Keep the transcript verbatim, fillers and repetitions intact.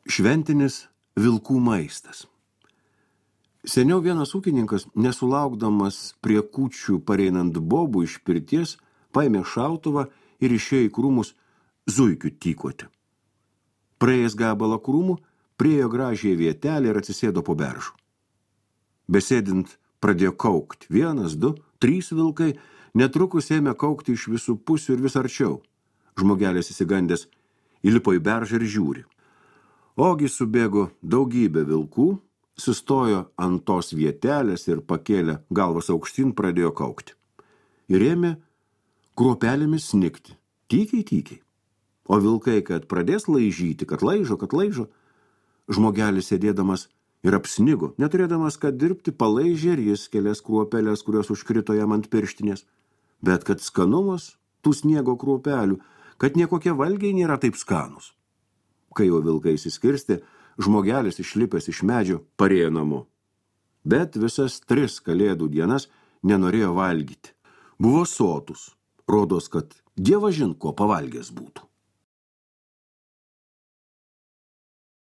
Šventinis vilkų maistas. Seniau vienas ūkininkas, nesulaukdamas prie kūčių pareinant bobų iš pirties, paėmė šautuvą ir išėjo į krūmus zuikių tykoti. Praėjęs gabalą krūmų, priejo gražiai vietelį ir atsisėdo po beržų. Besėdint pradėjo kaukti. Vienas, du, trys vilkai, netrukus ėmė kaukti iš visų pusių ir vis arčiau. Žmogelis įsigandęs įlipo į beržą ir žiūri. Ogi subėgo daugybė vilkų, sustojo ant tos vietelės ir pakėlė galvas aukštyn, pradėjo kaukti. Ir ėmė kruopelėmis snikti, tykiai, tykiai. O vilkai, kad pradės laižyti, kad laižo, kad laižo, žmogelis sėdėdamas ir apsnigo, neturėdamas ką dirbti, palaižė ir jis kelias kruopelės, kurios užkrito jam ant pirštinės. Bet kad skanumas tų sniego kruopelių, kad niekokie valgiai nėra taip skanus. Kai jau vilkai įsiskirstė, žmogelis išlipęs iš medžio parėjo namo. Bet visas tris kalėdų dienas nenorėjo valgyti. Buvo sotus, rodos, kad dievažin ko pavalgęs būtų.